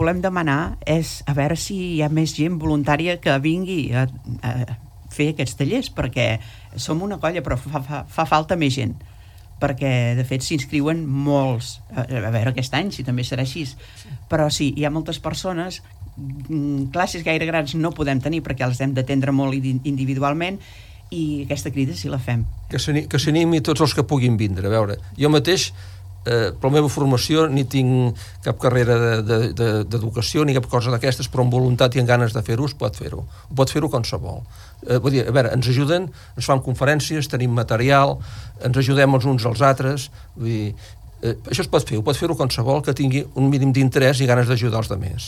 volem demanar és a veure si hi ha més gent voluntària que vingui a fer aquests tallers, perquè som una colla, però fa falta més gent, perquè de fet s'inscriuen molts, a veure aquest any si també serà així, però sí, hi ha moltes persones. Classes gaire grans no podem tenir perquè els hem d'atendre molt individualment, i aquesta crida sí la fem. Que s'animi tots els que puguin vindre. A veure, jo mateix, per la meva formació, ni tinc cap carrera d'educació ni cap cosa d'aquestes, però amb voluntat i amb ganes de fer-ho pot fer-ho. Ho pot fer-ho qualsevol. Vull dir, a veure, ens ajuden, ens fan conferències, tenim material, ens ajudem els uns als altres, vull dir, això es pot fer, ho pot fer-ho qualsevol que tingui un mínim d'interès i ganes d'ajudar els altres.